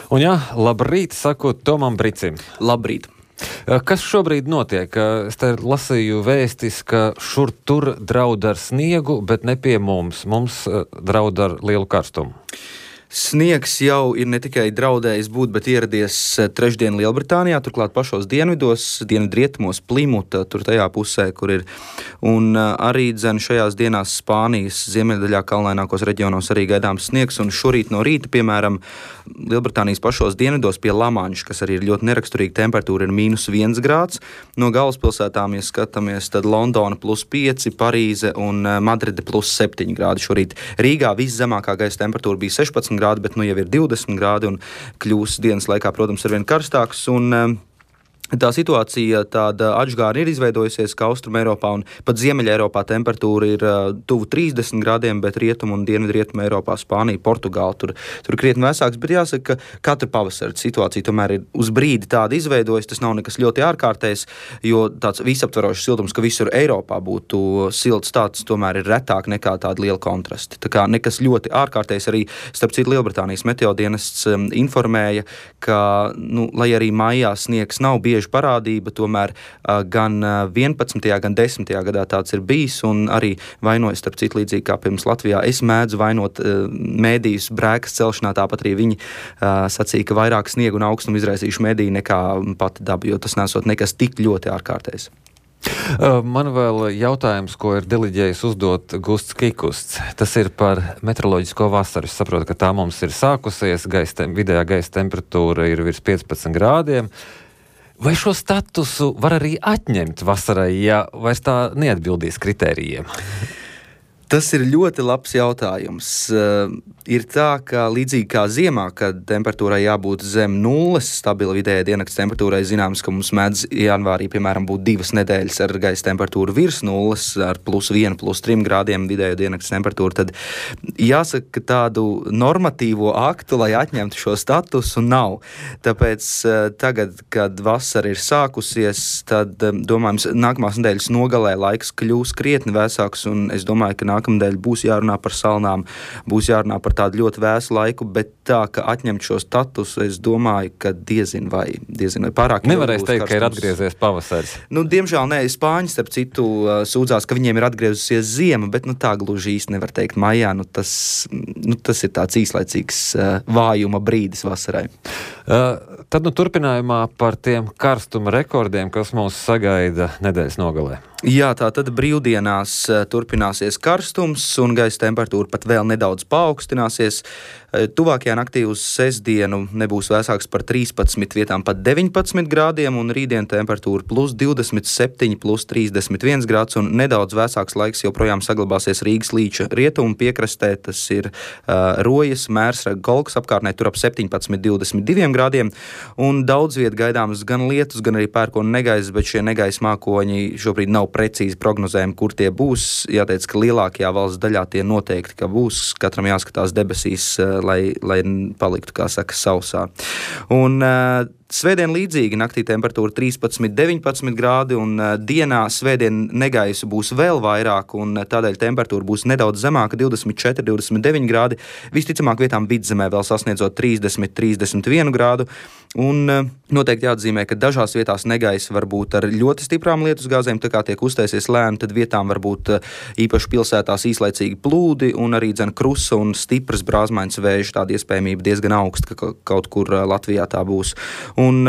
Un jā, labrīt, saku Tomam Bricim. Labrīt. Kas šobrīd notiek? Es te lasīju vēstis, ka šur tur draud ar sniegu, bet ne pie mums. Mums draud ar lielu karstumu. Sniegs jau ir ne tikai draudējis būt, bet ieradies trešdien Lielbritānijā, turklāt pašos dienvidos, dienvidrietumos, Plimuta, tur tajā pusē, kur ir. Un arī dzen šajās dienās Spānijas ziemeļdaļā kalnainākos reģionos arī gaidāms sniegs. Un šorīt no rīta, piemēram, Lielbritānijas pašos dienvidos pie Lamanša, kas arī ir ļoti neraksturīga temperatūra, ir -1 grāds. No galvaspilsētām, ja skatāmies, tad Londona +5, Parīze un Madride +7 grādi šorīt. Rīgā viszemākā gaisa temperatūra bija 16 grādi, bet nu jau ir 20 grādi un kļūs dienas laikā, protams, arvien karstāks. Un tā situācija tāda atžgāra ir izveidojusies, ka Austruma Eiropā un pat Ziemeļa Eiropā temperatūra ir tuvu 30 grādiem, bet Rietumu un Dienvidrietumu Eiropā, Spānija, Portugāla tur krietni vēsāks. Bet jāsaka, ka katra pavasara situācija tomēr ir uz brīdi tāda izveidojas. Tas nav nekas ļoti ārkārtējs, jo tāds visaptverošs siltums, ka visur Eiropā būtu silts, tāds tomēr ir retāk nekā tāda liela kontrasti. Tā kā nekas ļoti ārkārtējs. Arī, starp citu, Lielbritānijas meteodienests informēja, ka, lai arī maijā sniegs nav bieži parādība, tomēr gan 11. gan 10. gadā tāds ir bijis, un arī vainojas, starp citu, līdzīgi kā pirms Latvijā. Es mēdzu vainot mēdījus brēkas celšanā, tāpat arī viņi sacīja, ka vairāk sniegu un augstumu izraisījuši mēdīji nekā pati daba, jo tas nesot nekas tik ļoti ārkārtējs. Man vēl jautājums, ko ir deliģējis uzdot Gusts Kikusts. Tas ir par meteoroloģisko vasaru. Es saprotu, ka tā mums ir sākusies, vidējā gaisa temperatūra ir virs 15 grādiem. Vai šo statusu var arī atņemt vasarai, ja vairs tā neatbildīs kritērijiem? Tas ir ļoti labs jautājums. Ir tā, ka līdzīgi kā ziemā, kad temperatūrai jābūt zem nulles, stabila vidējā diennakts temperatūrai, zināms, ka mums mēdz janvārī, piemēram, būt 2 nedēļas ar gaisa temperatūru virs nulles, ar +1, +3 grādiem vidējā diennakts temperatūru, tad jāsaka, ka tādu normatīvo aktu, lai atņemtu šo statusu, nav. Tāpēc tagad, kad vasara ir sākusies, tad, domājams, nākamās nedēļas nogalē laiks kļūs krietni vēsāks, un es domāju, ka nākamnedēļ būs jārunā par salnām, būs jārunā par tādu ļoti vēsu laiku, bet tā, ka atņemt šo statusu, es domāju, ka diezin vai pārāk. Nevarēs teikt, ka ir atgriezies pavasaris. Diemžēl nē, Spāņi, starp citu, sūdzās, ka viņiem ir atgriezusies ziema, bet tā gluži īsti nevar teikt maijā. Tas ir tāds īslaicīgs vājuma brīdis vasarai. Tad turpinājumā par tiem karstuma rekordiem, kas mūs sagaida nedēļas nogalē. Jā, tā tad brīvdienās turpināsies karstums un gaisa temperatūra pat vēl nedaudz paaugstināsies. Tuvākajā naktī uz sestdienu nebūs vēsāks par 13, vietām pat 19 grādiem, un rītdien temperatūra +27, +31 grāds, un nedaudz vēsāks laiks joprojām saglabāsies Rīgas līča rietumu piekrastē. Tas ir Rojas, Mērsraga, Golkas apkārtnē, tur ap 17, 22 grādiem, un daudz viet gaidāms gan lietus, gan arī pērkona negaisa, bet šie negaisa mākoņi šobrīd nav precīzi prognozējumi, kur tie būs. Jāteic, ka lielākajā valsts daļā tie noteikti, ka būs. Katram jāskatās debesīs, lai paliktu, kā saka, sausā. Un svētdien līdzīgi naktī temperatūra 13, 19 grādi, un dienā svētdien negaisu būs vēl vairāk, un tādēļ temperatūra būs nedaudz zemāka, 24, 29 grādi. Visticamāk vietām vidzemē vēl sasniedzot 30, 31 grādu. Un noteikti jāatzīmē, ka dažās vietās negaisa var būt ar ļoti stiprām lietusgāzēm, tā kā tiek uztaisies lēni, tad vietām var būt īpaši pilsētās īslaicīgi plūdi un arī krusa un stipras brāzmaiņas vēža. Tāda iespējamība diezgan augsta, ka kaut kur Latvijā tā būs. Un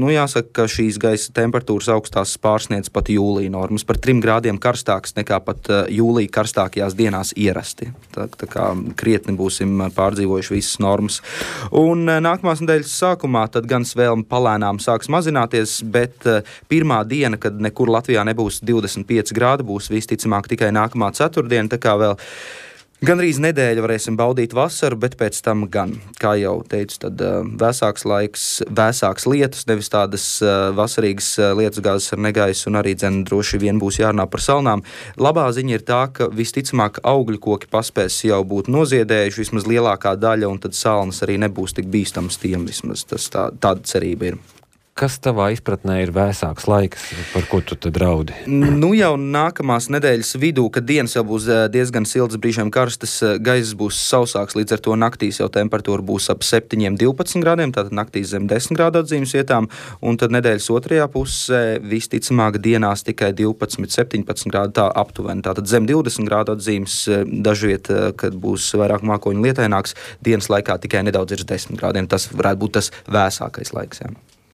jāsaka, ka šīs gaisa temperatūras augstās pārsniedz pat jūlija normas, par 3 grādiem karstāks nekā pat jūlija karstākajās dienās ierasti. Tā kā krietni būsim pārdzīvojuši visas normas. Un nākamās nedēļas sākumā tad gan svēlme palēnām sāks mazināties, bet pirmā diena, kad nekur Latvijā nebūs 25 grādi, būs visticamāk tikai nākamā ceturtdiena, tā kā vēl gandrīz nedēļu varēsim baudīt vasaru, bet pēc tam gan, kā jau teicu, tad vēsāks laiks, vēsāks lietus, nevis tādas vasarīgas lietusgāzes ar negaisu, un arī droši vien būs jārunā par salnām. Labā ziņa ir tā, ka visticamāk augļu koki paspēs jau būt noziedējuši, vismaz lielākā daļa, un tad salnas arī nebūs tik bīstams tiem, vismaz tāda cerība ir. kas tavā izpratnē ir vēsāks laiks, par ko tu tad draudi? Nu jau nākamās nedēļas vidū, kad dienas jau būs diezgan siltas, brīžiem karstas, gaiss būs sausāks, līdz ar to naktīs jau temperatūra būs ap 7-12 grādiem, tātad naktīs zem 10 grādu atzīmes vietām, un tad nedēļas otrajā pusē visticamāk dienās tikai 12-17 grādi tā aptuveni, tātad zem 20 grādu atzīmes dažviet, kad būs vairāk mākoņu lietaināks, dienas laikā tikai nedaudz ir 10 grādiem, tas varētu būt tas vēsākais laiks. Jā.